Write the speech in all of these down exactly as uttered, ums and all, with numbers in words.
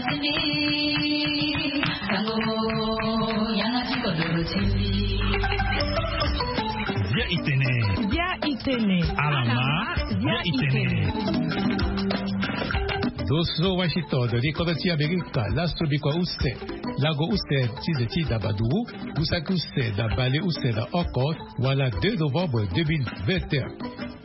Bia itene. Bia itene. Alama. Bia itene. Doso Washington, di kodro ti Amerika, laso bikua use, lago use ti ze ti dabaduru, gusaki use na bale use na oko, wala deux novembre deux mille vingt et un.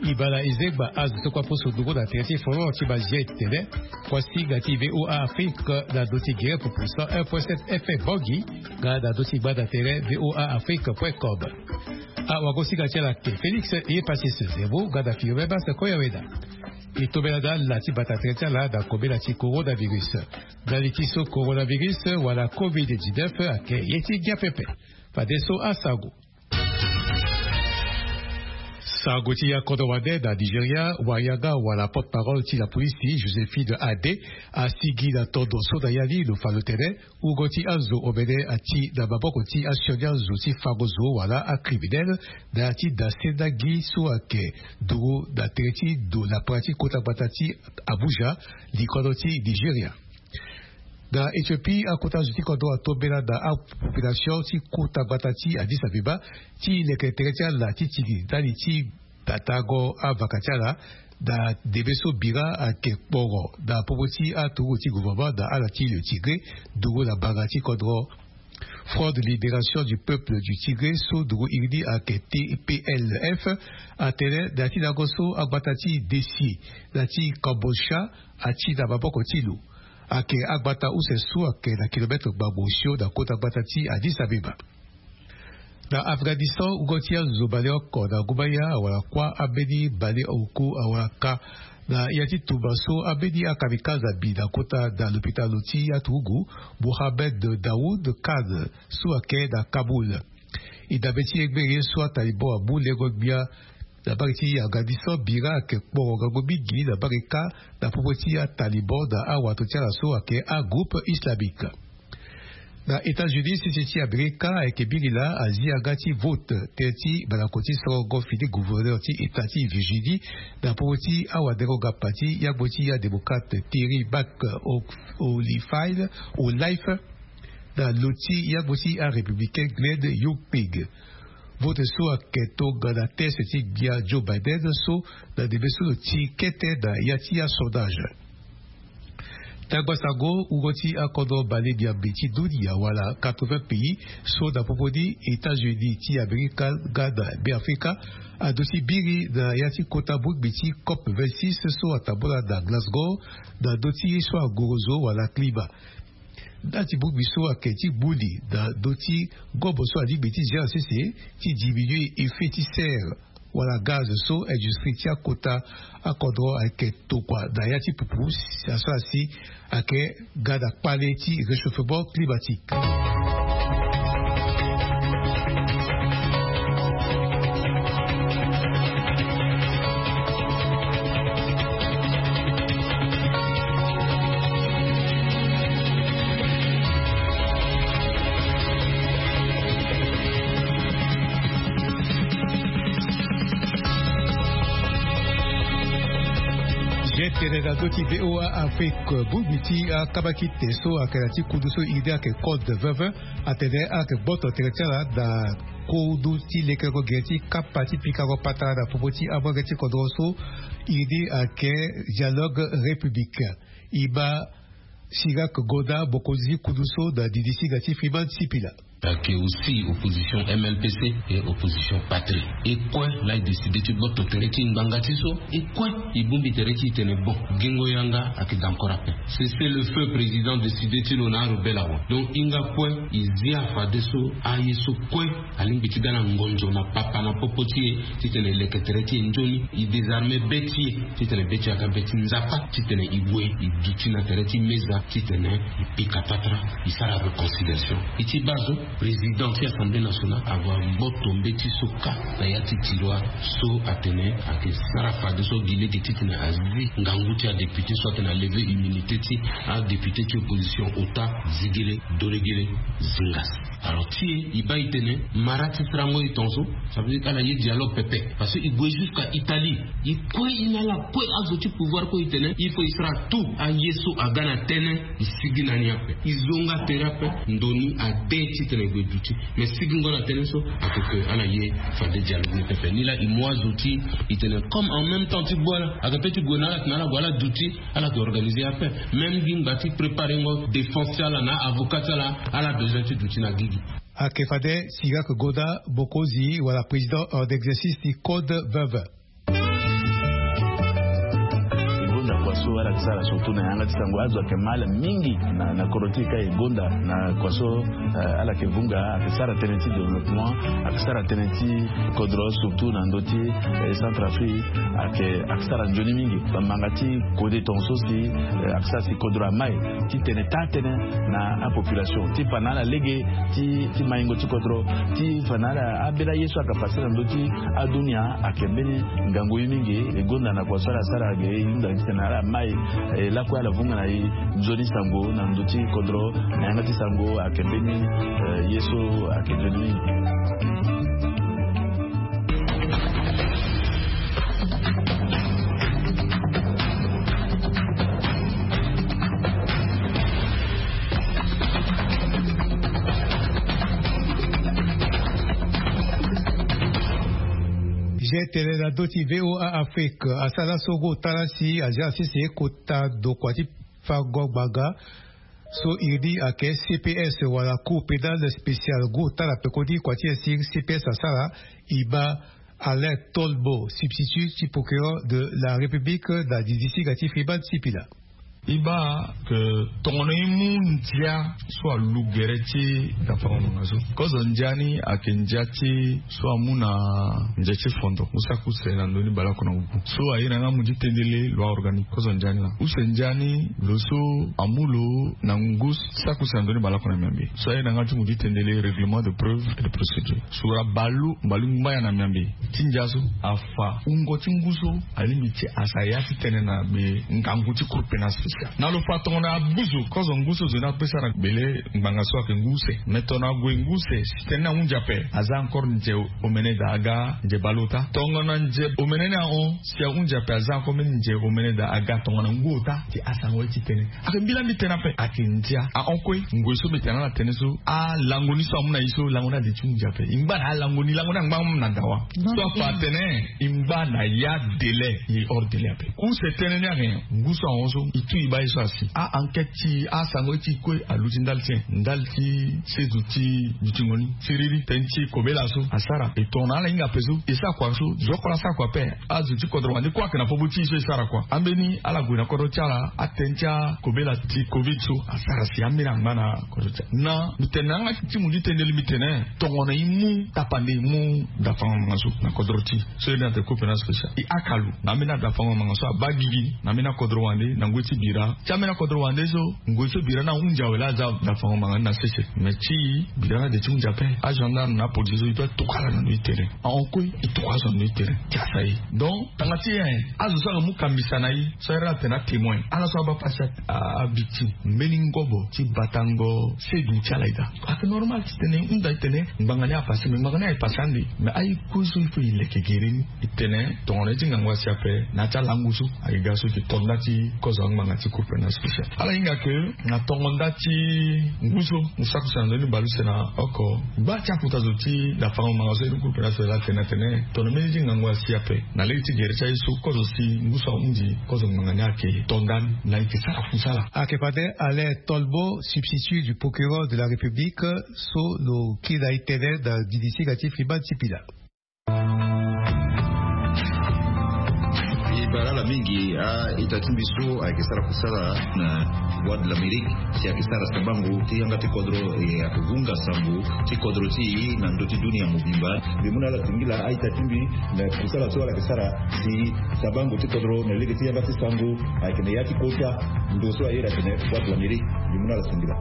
Ibala izegba azo so kua poso dungo na tere ti folon ti Bazie tene, kuasinga ti V O A Afrique na ndo ti gere pupu cent un point sept F M Bangui, nga na ndo ti gbanda tere V O A Afrique point com. Awagosinga ti ala ake Félix Eyepasis Zemo nga na Firmin Bas Koyaweda. E tombela na ala ti bata tere ti ala na kobela ti coronavirus. Ndali ti so coronavirus wala covid dix-neuf ake ye ti ngia pepe. Fadeso asango. Sango ti ya kodro wande na Nigeria, wayanga wala porte-parole ti la police, Josephine Ade, asigi na tondo so na ya ni lo fa lo tene, wungo ti azo omene ati na maboko ti asioni azo ti fango zo wala acriminel, na ya ti dase ndagi so ake duru na tere ti ndo lapara ti kota gbata ti Abuja, likodo ti Nigeria. Na Ethiopie, akota zo ti kodro atombela na apopulation ti kota gbata ti Addis Abeba ti leke tere ti ala ti tini ndali ti tatango avaka ti ala na ndembe so bira ake kporo na popo ti aturugu ti gouvernement na ala ti le Tigré, nduru na mbanga ti kodro Front de Libération du Peuple du Tigré so nduru iri ni ake T P L F, atene na ya ti lango so agbata ti Dessie na ti Kambolcha ati na maboko ti lo. Ake agbata use so ake na kilometre gbagbo osio na kota gbata ti Addis Abeba. Na Afghanistan, wungo ti azo baleoko na ngumba ya awara kuâ ambeni baleoko awara ka na ya ti tumba so ambeni akamikaze abi na kota na lopitalo ti aturugu Mohammed Daoud Khan so ake na Kaboul. E dabe ti ye gbere ye so atalibon amu lengo gbia na mbage ti Afghanistan bira ake kporo ngangu mingi na mbage kâ na popo ti atalibon na awato ti ala so ake agroupe islamique. Na États-Unis, sese ti Amerika ayeke biri laa azi yanga ti vote tënë ti mandako ti sorongo fini gouverneur ti état ti Virginie na popo ti awadengo ngapa ti yangbo ti adémocrate Terry McAuliffe, Olife, na lo ti yangbo ti arépublicain Glenn Youngkin. Vote so ayeke tongana test ti gbia Joe Biden so na ndembe so lo ti kete na ya ti asondage. Tangba sango, wungo ti akodro bale miambe ti dunia wala quatre-vingts pays so na popo ni États-Unis ti Amerika nga na Beafrika aduti biri na ya ti kota bongbi ti COP vingt-six so atambula na Glasgow na ndö ti so angorozo wala climat. Nda ti bongbi so ayeke ti gbu li na ndö ti ngobo so alingbi ti gérer sese ti diminuer effet ti serre wala gaz so industrie ti akota akodro ayeke tokua na ya ti pupu, si asara si ayeke ga na kpale ti réchauffement climatique. Ye tene na ndö ti V O A Afrique, bongbi ti akabakite so ayeke na ti kundu so iri ni ayeke code vingt vingt, atene ayeke gboto tere ti ala na kundu ti lekerengo gere ti kapa ti pikango patara na popo ti amolenge ti kodro so iri ni ayeke Dialogue Républicain. E ma Chirac Godard, mokonzi ti kundu so, na didi singa ti Freeman Sipila. Ayeke aussi opposition M L P C et opposition Patrie. E kue laa e décidé ti gboto tere ti ngbanga ti so, e kue e bongbi tere ti e tene bon, gingo yanga ayeke daa encore ape. Cessez-le-feu président décidé ti lo na arebelle awe. Donc hinga kue e zia fadeso aye so kue alingbi ti ga na ngonzo na papa na popo ti e titene e leke tere ti e nzoni, e désarmer be ti e titene be ti e aga be ti nzapa, titene e gue e duti na tere ti meza titene e pika patara, e sara réconciliation. E ti baa zo. Président ti Assemblée nationale ava gboto mbeti so kâ na ya ti tiroir so atene ayeke sara fadeso gi lege titene azi ngangu ti adéputé so atene aleve immunité ti adéputé ti opposition ota. Zigele dolegele zingas. Alors ti e e baa e tene mara ti sarango e tongaso. Ça veut dire ala ye dialogue pepe parce que e gue jusqu'à Italie. E kue e na ala kue azo ti pouvoir kue e tene il faut e sara tout aye so aga na tënë. E sigi na ni ape, e zonga tere ape. Ndo ni ade titene e gue duti. Mais sigingo na tënë so ake ke ala ye fade dialogue ni pepe. Ni laa e mu azo ti e tene comme en même temps ti gbu ala ake pe ti gue na ala tena ala gue ala duti. Ala ke organiser ape même gi ngba ti préparengo défense ti ala na avocat ti ala. Ala besoin ti duti na gigi. Ake fade Sirak Goda, bokozi wala président en exercice ti code vingt vingt. E gonda kua so ala ke sara surtout na yanga ti sango azo ayeke mal mingi na, na kodro ti e ka e gonda na kua so. Eh, ala ke vunga ayeke sara tënë ti développement, ayeke sara tënë ti kodro surtout na ndö ti, eh, Centrafrique. Ayeke, ayeke sara nzoni mingi bambanga ti kode tongaso si, eh, ayeke sara si kodro amai ti tene taa tënë na apopulation ti fa na ala lege ti, ti maingo ti kodro ti fa na ala abela ye so ayeke pase na ndö ti adunia. Ayeke mbeni ngangu ye mingi. E gonda na kua so ala sara ge e hunda titene ala mai, eh, lakue ala vunga na e nzoni sango na ndö ti kodro na yanga ti sango ayeke mbeni, eh, ye so ayeke nzoni mingi. Zia tene na ndö ti VOA Afrique asara so gue ota la si azia sese kota dokua ti fango gbanga so iri ni ayeke CPS wala Cour pénale spéciale. Gue ota la pekoni kua ti e si CPS asara. E baa Alain Tolbo, substitut ti procureur de la République na didisiga ti Freeman Sipila. E baa ke tongono e mu ndia so alu gere ti dafango ngbanga so. Kozo ndia ni ayeke ndia ti so amu na ndia ti fondo mu saki use na ndoni baleoko na ngu so aye na yanga mu ti tendele loi organique. Kozo ndia ni laa use ndia ni lo so amu lo na ngu saki use na ndoni baleoko na miambe so aye na yanga ti mu ti tendele règlement de preuve et de procédure. Sura baleoko mbaleoko ngbaya na miambe ti ndia so afa wungo ti ngu so alingbi ti asa ya ti tene na be ngangu ti Cour pénale spéciale. Na lo fa tongana abuzu kozo ngu so zo ni apesa na bele ngbanga so ayeke ngu use. Me tongana ague ngu use si tene ni ahunzi ape aza encore nze omene daa aga nze baleota. Tongana nze omene ni ahon si ahunzi ape aza encore mbeni nze omene daa aga tongana ngu ota ti asango ye ti tene. Ayeke mbila mbi tene ape ayeke ndia ahon kue. Ngoi so mbi tene na ala tënë so alango ni so amu na e so lango ni ade ti hunzi ape. E ngba na alango ni lango ni angba na dawa so afa atene e ngba na ya délai e hors délai ape. Use tënë ni ayeke nyen? Ngu so ahon so e tu e baa ye so asi a-enquête ti e asango ye ti e kue aluti ndali ti nyen? Ndali ti sezo ti dutingo ni siriri tënë ti kobela so asara e tongana ala hinga ape so e sara kua so zo oko la sara kua ape. Azo ti kodro wande kue ayeke na popo ti e so e sara kua ambeni ala gue na kodro ti ala atënë ti akobela ti covid so asara si ambeni angba na kodro ti ala. Na mbi tene na yanga ti mu ti tendeli mbi tene tongana e mu tapande e mu dafango ngbanga so na kodro ti e so iri ni atene Cour pénale spéciale e haka lo na ambeni adafango ngbanga so abaa gigi na ambeni akodro wande na ngoi ti bira ti ambeni akodro wande so. Ngoi so bira ni ahunzi awe laa aza dafango ngbanga ni na sese. Me ti bira ni ade ti hunzi ape agendarme na apolisi so e doit tokua ala na ndö ti tere. Ahon kue e tokua azo na ndö ti tere ti asa e. Donc tanga ti e azo so ayeke mu kambisa na e so ayere atene atémoin ala so abaa pasi avictime mbeni ngobo ti batango sedu ti ala eda. Ayeke normal ti tene e hunda e tene ngbanga ni apase me ngbanga ni aye pase ande. Me aye kue so il faut e leke gere ni e tene tongana ye ti ngangu asi ape na ya ti alango so. Ayeke ga so e yeke to nda ti kozo angbanga ti Cour pénale spéciale ala hinga ke na tongo nda ti ngu so mu saki use na ndoni baleuse na oko. Gba ti akuta zo ti dafango ngbanga so ye ti Cour pénale spéciale atene atene tongana mbeni ye ti ngangu asi ape na lege ti gere ti aye so kozo si ngu so ahunzi kozo ngbanga ni ayeke to nda ni na e yeke sara kusala. Ayeke fade Alain Tolbo, substitut du procureur de la République, so lo kiri na e tënë na didisiga ti Freeman Sipila. E bara ala mingi a-ita ti mbi so ayeke sara kusala na Voix de l'Amérique si ayeke sara sabango ti yanga ti kodro e ayeke vunga sango ti kodro ti e na ndö ti dunia mobimba. Mbi mu na ala singila a-ita ti mbi na kusala so ala yeke sara si sabango ti kodro na lege ti yanga ti sango ayeke na ya ti kota ndo so aye iri atene Voix de l'Amérique. Mbi mu na ala singila.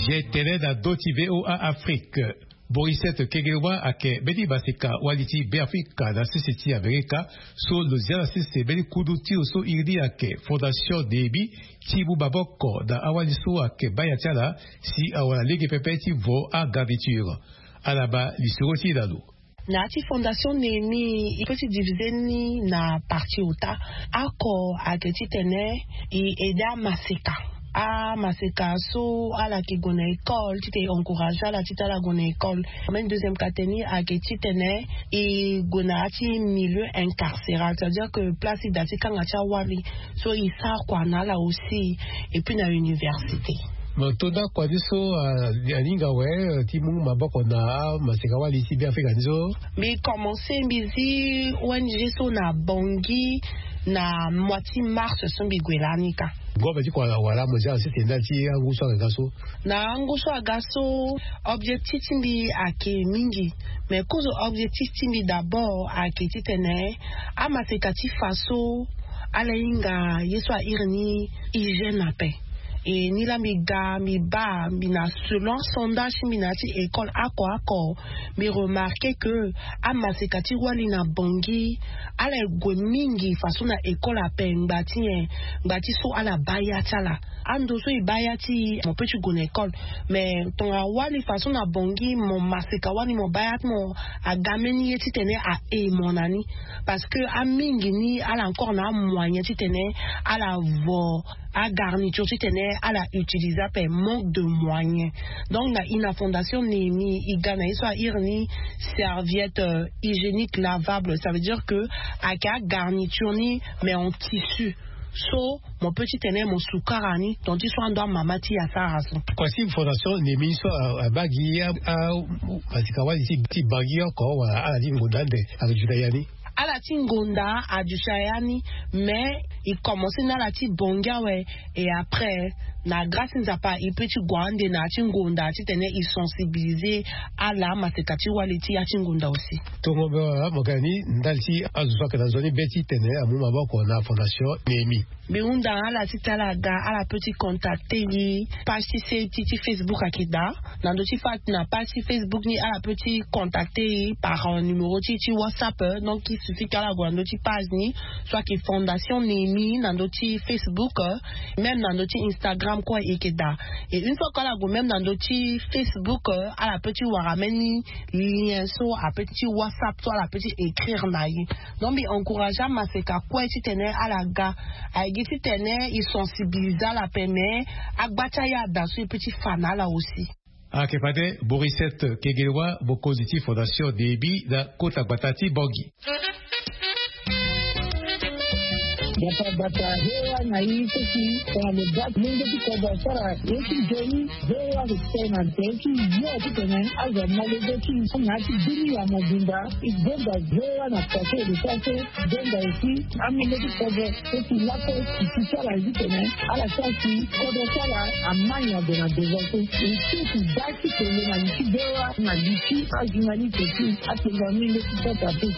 Ye tene na do ti VOA Afrique. Borisette Kegelwa ayeke mbeni maseka wali ti Beafrika na sese ti Amerika, so lo zia na sese mbeni kundu ti lo so iri ni ayeke Fondation Néhémie, ti mu maboko na awali so ayeke baa ya ti ala si awara lege pepe ti vo agarniture. Ala baa lisoro ti e na lo. Na ya ti Fondation Néhémie, e peut ti diviser ni na partie ota. Oko ayeke titene e aider amaseka. Amaseka so ala yeke gue na école, titene e encourager ala titene ala gue na école. Même deuxième catégorie ayeke titene e gue na ya ti milieu incarcéral, c'est-à-dire que place ti da ti kanga ti awali, so e sara kua na ala aussi, et puis na université. Mo to nda kua ni so, ah, aninga awe, eh, ti mu maboko na amaseka wali ti Beafrika ni so? Mbi commencer, mbi zi O N G so na Bangui na mois ti mars so mbi gue lani ka. Ngombe ti kua wala mo zia na sese ndali ti angu so aga so? Na angu so aga so, objectif ti mbi ayeke mingi. Mais kozo objectif ti mbi d'abord ayeke titene amaseka ti fa so ala hinga ye so a iri ni hygiène ape. E ni laa mbi ga, mbi baa, mbi na selon sondage ti mbi na ya ti école oko oko, mbi remarquer que amaseka ti wali na Bangui, ala ye gue mingi faso na école ape, ngba ti nyen? Ngba ti so ala baa ya ti ala. Ando so e baa ya ti e, mo peut ti gue na école. Mais tongana wali faso na Bangui, mo maseka wali mo baa ya ti mo, aga mbeni ye titene a e mo na ni. Parce que amingi ni ala encore na amoyen titene ala vo agarniture titene ala utiliser ape, manque de moyen. Donc na i na Fondation Néhémie, i ga na ye so a iri ni serviette, euh, hygiénique lavable, ça veut dire que ayeke agarniture ni, mais en tissu. So mo peut titene mo sukara ni, donc ti so ando amama ti e asara so. Kua ti Fondation Néhémie so a, abaa gi a, a, maseka wali ti, ti Bangui oko, wala ala ti ngonda ande ayeke duti na ya ni? Ala ti ngonda aduti na ya ni, mais e commencer na ala ti Bangui awe, et après, na grâce ti Nzapa, e peut ti gue ande na ya ti ngonda titene e sensibiliser ala amaseka ti wali ti ya ti ngonda aussi. Tongo be wala mo ga ni ndali ti azo so ayeke na nzoni be titene amu maboko na Fondation Néhémie. Mbi hunda na ala titene ala ga, ala peut ti contacter e, page ti se ti, ti Facebook ayeke daa. Na ndö ti fa, na page ti Facebook ni, ala peut ti contacter e par, euh, numéro ti, ti WhatsApp, euh, donc il suffit que ala gue na ndö ti page ni, so ayeke Fondation Néhémie na ndö ti Facebook, euh, même na ndö ti Instagram kue e yeke daa. Et une fois que ala gue même na ndö ti Facebook, euh, ala peut ti wara même ni lien so a peut ti WhatsApp, so ala peut ti écrire na e. Donc mbi encourager amaseka kue titene ala ga. Aye gi titene e sensibiliser ala ape, mais agba ti aye ada so e peut ti fa na ala aussi. Ayeke fade Borisette Kegelwa, mokonzi ti Fondation Néhémie na kota gbata ti Bangui. Gbata gbata, V O A na i so si tongana lo baa molenge ti kodro asara ye ti nzoni, V O A ayeke tene na tere ti yo titene azo amolenge ti na ya ti bini ya mobimba. E gonda V O A na kua so e lo sara so, gonda aussi amolenge ti kodro so si laso e si ti ala ye titene ala sara si kodro ti ala ama nyango na devant so. E si e si baa ti tene na li ti V O A na li ti ajournaliste ti atengo amolenge ti kodro ape.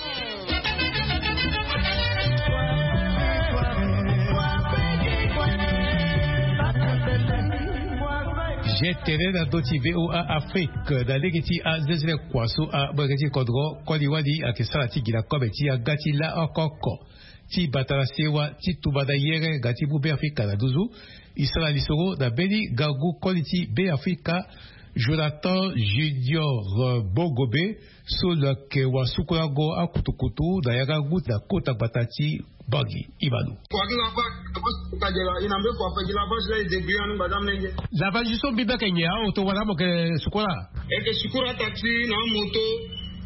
Ye tene na ndö ti V O A Afrique na lege ti azezele kua so amolenge ti kodro koli wali ayeke sara ti gi na kobe ti yanga ti la oko oko ti bata na sewa ti tumba na yere nga ti mu Beafrika na nduzu. E sara lisoro na mbeni ngangu koli ti Beafrika, Jonathan Junior Bongobe, so lo yeke wasukulango akutukutu na yanga ngu na kota gbata ti Bangui. Imanu. Kua ti lavage, kua ti lavage, e na mbeni kua ape gi lavage la e débrouiller anu ngbada molenge. Lavage so mbi be ayeke nyen, aoto wala mo yeke sukula? E yeke sukula ataxi na amoto,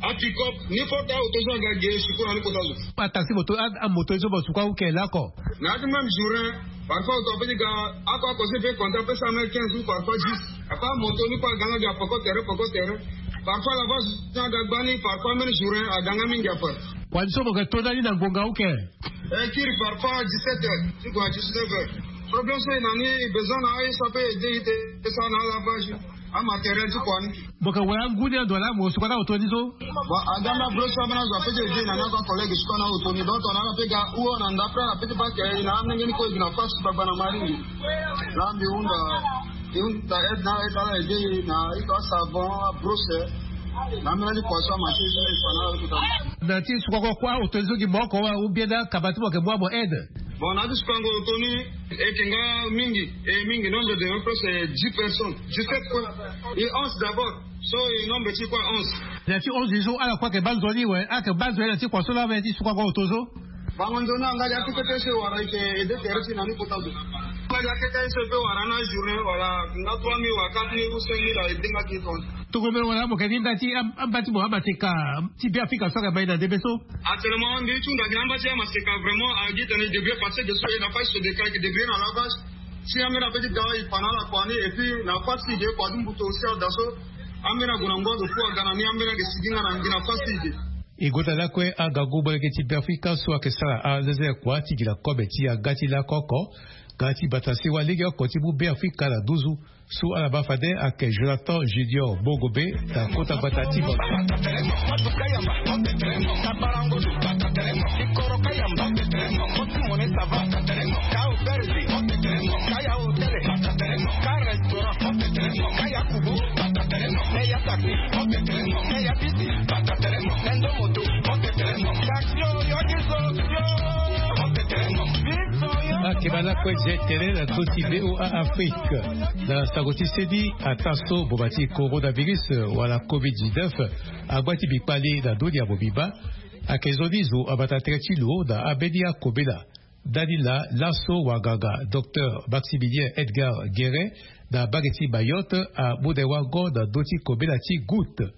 apick-up, ni kota aoto so aga ge e sukula ni kota zo. Ataxi, moto, a, amoto so mo sukula ou yeke lako? Na ya ti même journée, parfois oto apeut ti ga, ako ako so e peut compter apeut cent mètres, quinze ou parfois dix. Parfois amoto ni kue aga nga ge apoko tere, poko tere. Parfois lavage so aga gbani, parfois même journée aga nga mingi ape. Kua ni so mo yeke to ndani na ngonga ou yeke? E kiri parfois dix-sept heures ti gue na dix-neuf heures. Problème so e na ni, e besoin na aye so apeut aider e ti sara na alavage, amatériel ti kua ni. Mo yeke wara ngu ni ando wala mo sukula na oto ni so? Bon, aga na bro so ambeni azo apeut ti aider e na ni, ako acollègue sukula na oto ni. Donc tongana ala peut ga ou na ndapre ala peut ti baa ke e na amolenge ni kue e gi na force gbagba na maringi. Laa mbi hunda. Yo ta aide na aide ala ege na iko asabon abrose. Na mena ni poisson ma ti ege na iko na iko ta. Na ti sukoko kua oto zo gi moko wa ou bien na kaba ti mo ke bua mo aide. Bon, na ti sukango oto ni, e ke nga mingi, e mingi, nombre de nos proches, c'est dix personnes. Dix-sept quoi. Et onze d'abord. So e nombre ti kua onze. Na ti onze zo ala kua ke ba nzoni we, ala ke ba nzoni na ti kua so la we ti sukango oto zo. Bango nzoni angadi akete so e wara e ke ede tere ti na ni kota zo. Angadi akete so e pe wara na journée wala nga trois mille wala quatre mille ou cinq mille a ede nga ki tonga. Tongomelo wala mo ke ni nda ti am-, amba ti mo amaseka ti Beafrika so ake mai na ndembe so. Actuellement mbi ti hunda gi na amba ti amaseka vraiment agi tene débrouiller parce que so e na fa ti so de ka e ke débrouiller na lavage. Si ambeni ape ti da e pa na ala kua ni et puis na fa ti si ge kua ti mbutu aussi ada so. Ambeni ague na ngu ado fu aga na ni ambeni ake sigi nga na ngi na fa ti si ge. E gota lakue angangu molenge ti Beafrika so ake sara anzeze kua ti gi na kobe ti aga ti lako oko. Nga ti bata sewa lege oko ti mu Beafrika na nduzu. So ala baa fade ake Jonathan Junior Bogobe na kota gbata ti bango. Akeba lakue je tene na doti V O A Afrique. Na sango ti seni, ataa so boma ti coronavirus wala covid dix-neuf agba ti bikpali na ndoni ya mobimba, ake nzoni zo abata tere ti lo na ambeni akobela. Ndani laa laso wanganga docteur Maximilien Edgar Guérin na mbage ti Mayotte amu na e wango na ndö ti kobela ti goutte.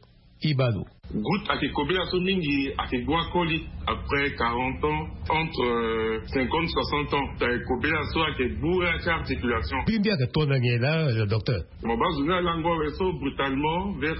Ibalo. Goutte ake kobela so mingi ake gbu akoli après quarante ans, entre, euh, cinquante, soixante ans. Ake kobela so ake gbu ya ti articulation. Mbi mbi ake tonda nyen laa, euh, docteur? Mo baa zo ni alango awe so brutalement vers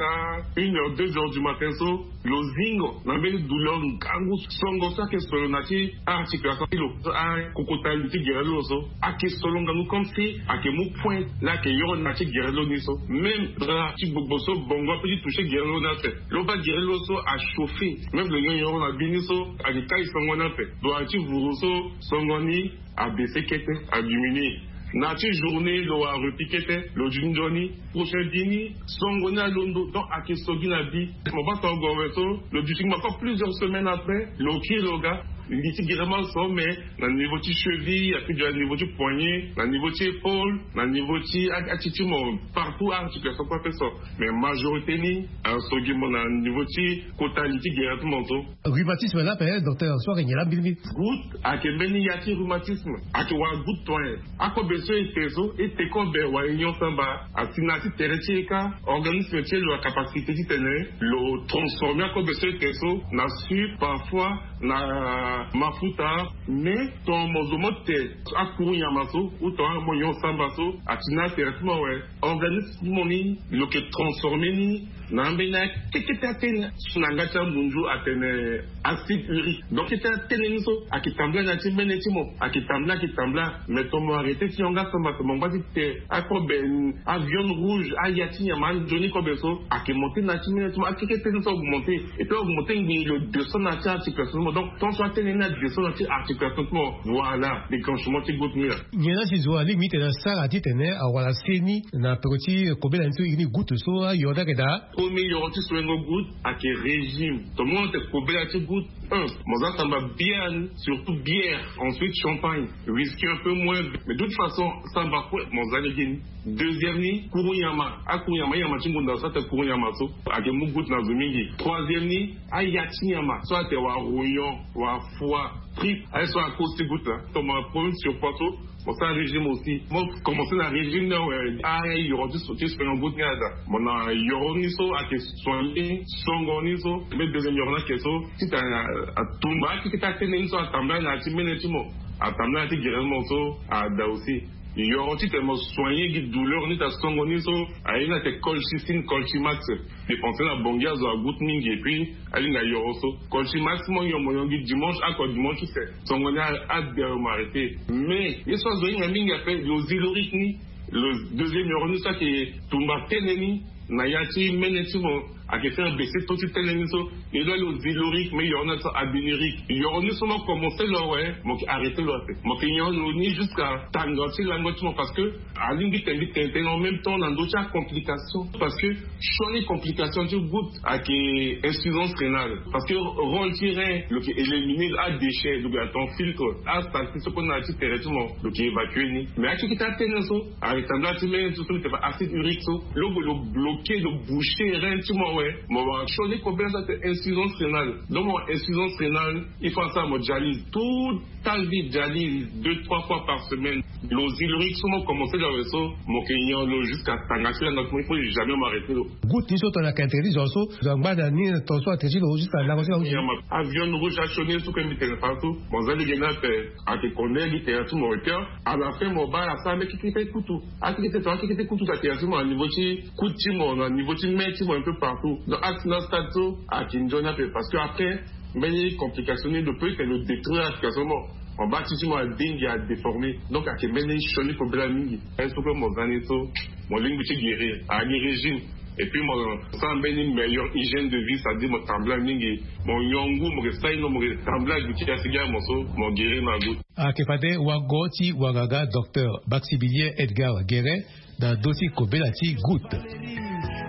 une heure, deux heures du matin so, lo zingo na mbeni douleur ngangu songo so ake solo na ti articulation ti lo, akokota li ti gere lo so ake solo ngangu comme si ake mu point la ake yoro na ti gere lo ni so. Même drap ti gbogbo so bongo ape ti toucher gere lo ni ape. Lo baa gere lo so achauffer. Même lo nyon yoro na bi ni so ake kai songo ni ape. Lo ake ti vuru so songo ni abaisser kete, adiminuer. Na ti journée lo wara repli kete, lo duti nzoni, prochain bi ni songo ni alondo, donc ake so gi na bi. Mo baa tongo awe so lo duti gi ma encore plusieurs semaines après, lo kiri lo ga. Li ti gere mal so mais na niveau ti cheville, ape duti na niveau ti poignet, na niveau ti épaule, na niveau ti a, ati ti mo, partout articulation kue ape so. Mais majorité ni aso gi mo na niveau ti kota li ti gere ti mo so. Rhumatisme la ape, docteur, so ake nyen la mbirimbiri? Goutte ake mbeni ya ti rhumatisme. Ake wara goutte toi. Akobe so e te so, e te kobe wala e nyon samba, asi na ya ti tere ti e kâ, organisme ti e lo na capacité titene lo transformer akobe so e te so na sucre, parfois na mafuta. Mais tongana mo zo mo te akuru nyama so ou tongana mo nyon samba so, asi na ya tere ti mo awe. Organisme ti mo ni lo ke transformer ni na ambeni akekete atene so na yanga ti amunzu atene acide urique. Donc kete atene ni so ake tambula na ya ti mbeni ti mo, ake tambula, ake tambula. Mais tongana mo arrêter ti yanga samba, tongana mo ngba ti te akobe, aviande rouge, aya ti nyama, anzoni kobe so ake monter na ya ti mbeni ti mo, akekete ni so augmenter. Et puis augmenter ngbii lo descend na ya ti articulation ti mo. Donc tension atene ni adescend na ya ti articulation ti mo. Voilà déclenchement ti goutte ni la. Nyen la si zo alingbi titene asara titene awara seni na peko ti kobela ni so iri ni goutte so, ayode ayeke daa? Premier yoro ti solengo goutte ayeke régime. Tongana mo tene kobela ti goutte, un, mo za samba bière ni, surtout bière, ensuite champagne, whisky un peu moins, mais de toute façon samba kue mo za lege ni. Deuxième ni kuru nyama, akuru nyama, nyama ti ngonda so atene kuru nyama so ayeke mu goutte na zo mingi. Troisième ni aya ti nyama so atene wala rognon, wala foie, trip, aye so akosi goutte la. Tongana mo na problème surpoids so, mo sara régime aussi. Mo commencer na régime ni awe, ayoro ti so ti soigner goutte ni ada. Mo na yoro ni so ayeke soigner songo ni so. Mais deuxième yoro ni ayeke so titene atumba akekete atene ni so atambula na ya ti mbeni ti mo, atambula na ya ti gere ti mo so ada aussi. Yoro titene mo soigner gi douleur ni ta songo ni so, aye ni atene colchicine, colchimax. Dépenser na Bangui azo agoutte mingi et puis alinga yoro so. Colchimax mo nyon, mo nyon gi dimanche, oko dimanche ti se songo ni ade mo arrêter. Mais ye so azo ahinga mingi ape lo Zyloric ni, lo deuxième yoro ni so ayeke tumba tene ni na ya ti mbeni ti mo. Ake faire baisser taux ti tene ni so. Ni lo lo zilorique mais yoro ni so abinurique, yoro ni so mo commencer lo awe, mo ke arrêter lo ape. Mo ke nyon lo ni jusqu'à tanga ti lango ti mo parce que alingbi tene tene tene en même temps na ndo ti acomplication. Parce que sioni complication ti goutte ake insuffisance rénale parce que rôle ti rein lo ke éliminer adéchet lo ke aton filtre, asalti so kue na ya ti tere ti mo lo ke évacuer ni. Mais akeke ti atene so aressemble ti mene ti so lo ke fa acide urique so lo ke lo bloquer lo boucher rein ti mo awe. Mo wara sioni kobela so ate insuffisance rénale. Donc mo wara insuffisance rénale, il faut asara mo dialyse tout ta vie, dialyse deux trois fois par semaine. Lo zilorique so mo commencer lo awe so mo ke nyon lo jusqu'à tanga ti lango ti mo, il faut jamais mo arrêter lo. Goutte ni so tongana ke interdit zo so zo angba na ni ton so atene ti lo jusqu'à lango ti lango ti. Avion rouge asioni so kue mbi tene partout mo za lege ni ape. Ake connaît mbi tene ti mo requin. À la fin mo baa asara mbi kikite kutu. Akikite to akikite kutu sa tene ti mo na niveau ti coude ti mo na niveau ti main ti mo un peu partout. Donc axe na stade so ake nzoni ape parce que après mbeni complication ni lo peut tene lo détruire application mo. Mo baa ti ti mo adingi adéformer. Donc ake mbeni sioni kobela mingi. Est ce que mo za ni so mo lingbi ti guérir agi régime. Et puis mo sara mbeni meilleure hygiène de vie, c'est à dire mo tambula mingi. Mo nyon ngu mo ke sai no mo ke tambula goutte ti asi gi amo so mo guérir na goutte. Ake fade wago ti wagaga docteur Baxibilien Edgar Guéret na do ti kobela ti goutte.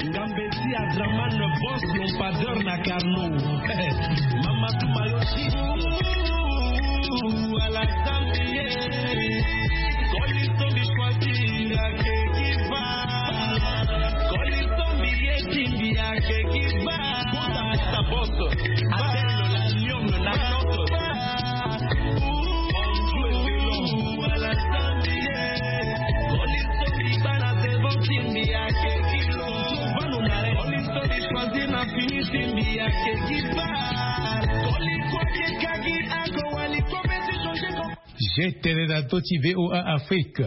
Ngambe ti Adraman, boss lampadeur na Carnot. Mama Tumayoshi. Ala Zambie. Koli sombi choisi ake kiva. Koli sombi ye timbi ake kiva. Sa boss. Appelle la lionne, la note. J'ai tene na to ti VOA Afrique.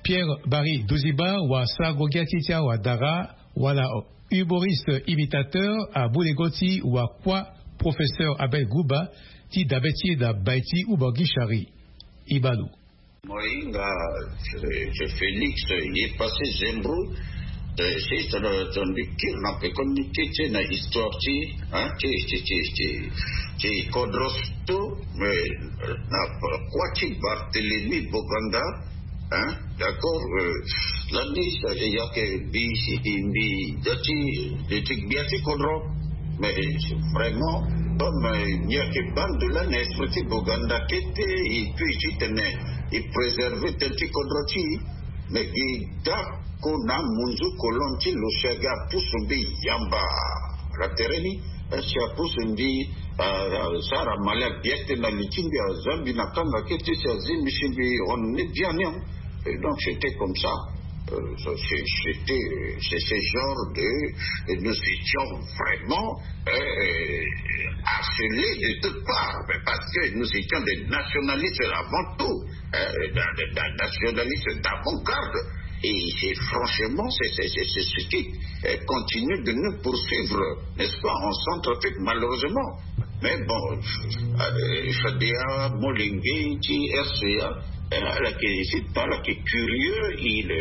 Pierre Barry Douziba wa sago gi ati ti awa dara wala humoriste imitateur abulego ti wa kua professeur Abel Guba ti dabe ti na bai ti Uba Gishari. Ibalu. Moinga, je Félix ye passé Zembro. Si ton ton lecture na pe communiqué ti na histoire ti hein ti ti ti ti ti kodros to mais na kua ti Barthélemy Boganda. Hein, d'accord. Lani sa ya ke bi si mbi dati de ti gbia ti kodro. Mais vraiment comme il n'y a que bande de la esprit ti Boganda kete et puis ti tene i préserver tënë ti kodro ti. Mais gi dako na munzu kolon ti lo si aga pusu mbi yamba la tere ni. Si apusu mbi asara mali abiekte na li ti mbi aza mbi na kanga kete si azi mbi si mbi hon ni biani. Et donc c'était comme ça. C'était c'est ce genre de nous étions vraiment harcelés de toutes parts, mais parce que nous étions des nationalistes avant tout, nationalistes d'avant-garde. Et c'est franchement c'est c'est c'est ce qui continue de nous poursuivre, n'est-ce pas, en Centrafrique malheureusement. Mais bon, Fadea Molenge ti RCA, là qui est curieux, il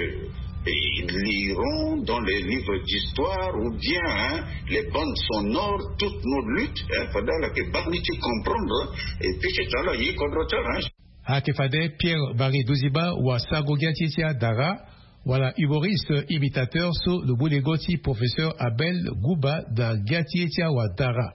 ils liront dans les livres d'histoire ou bien hein, les bandes sonores toutes nos luttes, hein, pendant la que banni ti comprendre et puis c'est là il comprend hein. Ake fade Pierre Barry Douziba wa sago gi ati ti adara wala humoriste imitateur so lo bule go ti professeur Abel Guba na gi ati ti awa dara.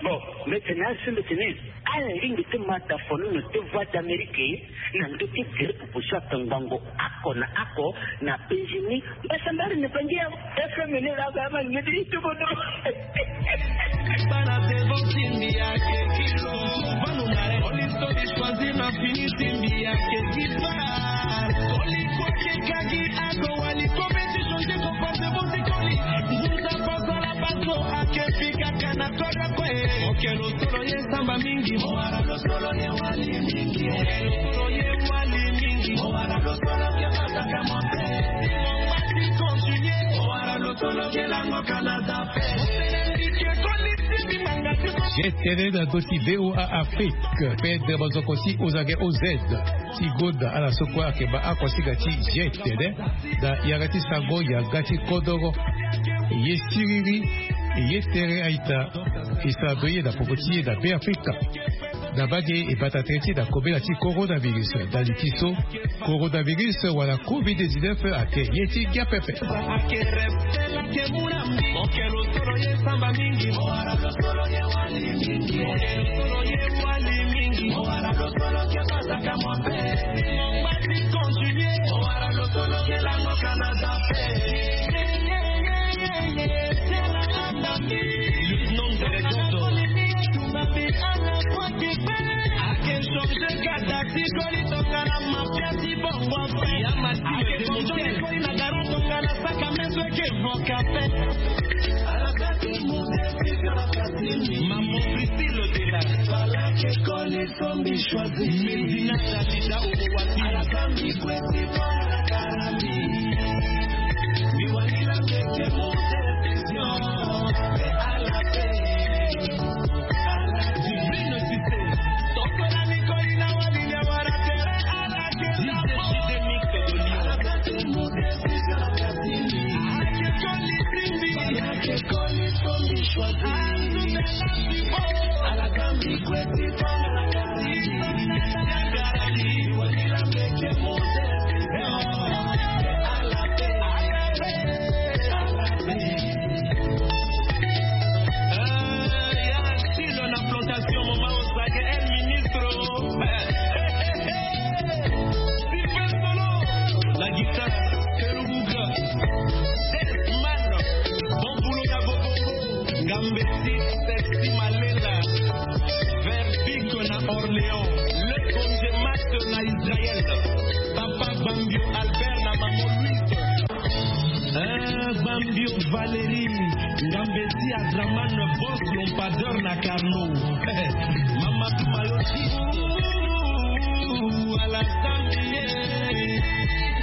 Bon, mbi tene asi mbi tene ala lingbi ti ma dafono na ti Voix d'Amérique na ndö ti gere popo so ake ngbongo ako na ako na Benjini. Mbasambari na bangi ya FM ni la ba ma ngedi ti bono. Bana te bo timbi ake kilo. Banu mare oli so di choisir na fini timbi ake kipa. Oli ko ke kagi ako wali ko be ti changer ko pase bo ti koli. Nzuta pasa la baso ake fika kana kora kwe. Okelo solo ye samba mingi. Owara lo solo ye wali mingi. Okelo solo ye wali mingi. Owara lo solo ye bata kama. Owara lo solo ye lango kana. J'ai tene na doti VOA Afrique. Pe de bozoko si ozage oz. Ti goda ala sokua ke ba akua siga ti j'ai tene. Da yaga ti sango yaga ti kodoro. Ye siriri, ye tere aita. E sara be ye na popo ti ye na Be Afrika. Na mbage e bata tere ti e na kobela ti coronavirus. Na li ti so, coronavirus wala covid dix-neuf ayeke ye ti gia pepe. Ngambe ti Sexy Malela, Verbic na Orléans, le Conde Max na Israël, Papa Bambio Albert na Maman Louise. Ah, Bambio Valérie, Ngambe ti Adraman, Boss Lompadeur na Carnot. Mama Tumayo ti Alassane.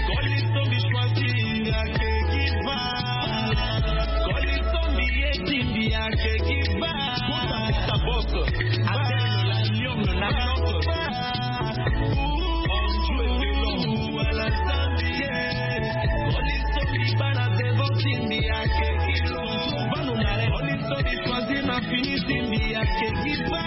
Koli sombi choisi ake giva. Koli sombi ye timbi ake giva. Kota ta boss. Appelle la lionne na lionne. On joue de l'homme à la Zambie. Koli sombi bana devo timbi ake kilo. Bano na re. Koli sombi choisi na fini timbi ake giva.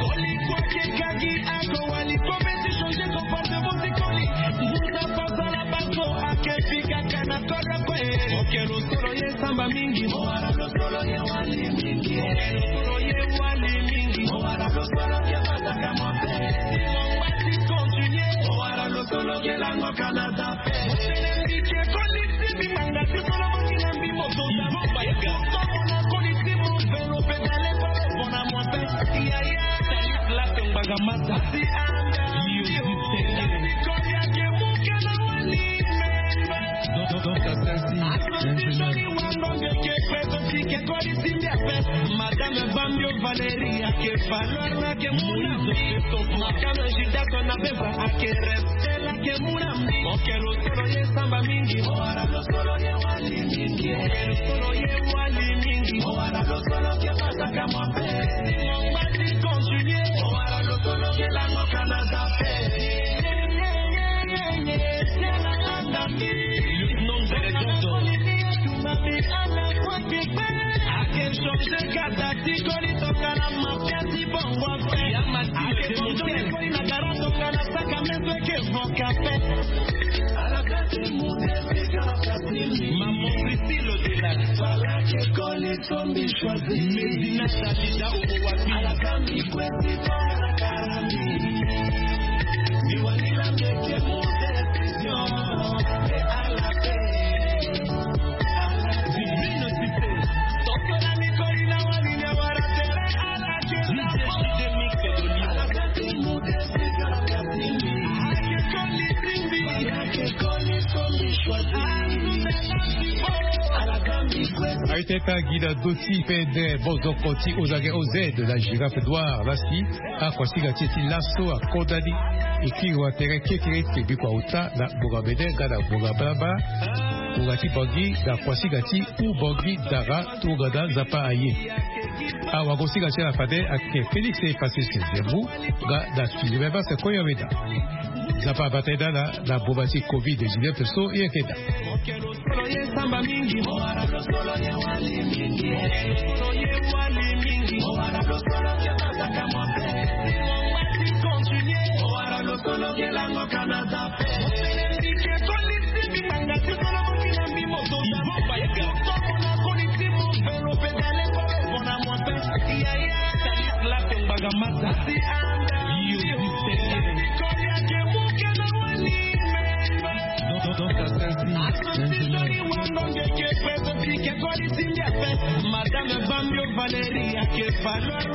Koli kwa ke kagi ako wali kometi changer comportement ti koli. Musa pasala baso ake fika kana kora kwe. Okelo solo ye samba mingi. Owara lo solo ye wali mingi. Okelo solo ye wali mingi. Owara lo solo ye bataka mote. Simon bati continuer. Owara lo solo ye lango Canada. Motelembi ke koli sibi manga ti solo bati na mbi moto. Ibo Bayaka. Tomo na koli ti mo velo pedale pale bona mote. Yaya. Salut Black Mbagamata. Yo, Madame Bambio Valérie ake valeur na ke muna. Madame Judas na beza ake respect na ke muna. Okelo solo ye samba mingi. Owara lo solo ye wali mingi. Okelo solo ye wali mingi. Owara lo solo ke pasaka mote. Simon bati continuer. Owara lo solo ye lango Canada. Aye teta gi na do ti pede bozoko ti ozage oz na girafe noir lasi. Akuasinga ti e ti laso akodani. E kiri wa tere kekere ti biko auta na gbonga mene nga na gbonga blabla. Gbonga ti bangi na kuasinga ti u bangi dara. Tongana nzapa aye. Awagosinga ti ala fade ayeke Félix Efface Sezembu. Nga na suzebe base koyaweda. Nzapa abata ye dala na boma ti covid dix-neuf so ye keda. Madame Bambio Valérie Akefalo.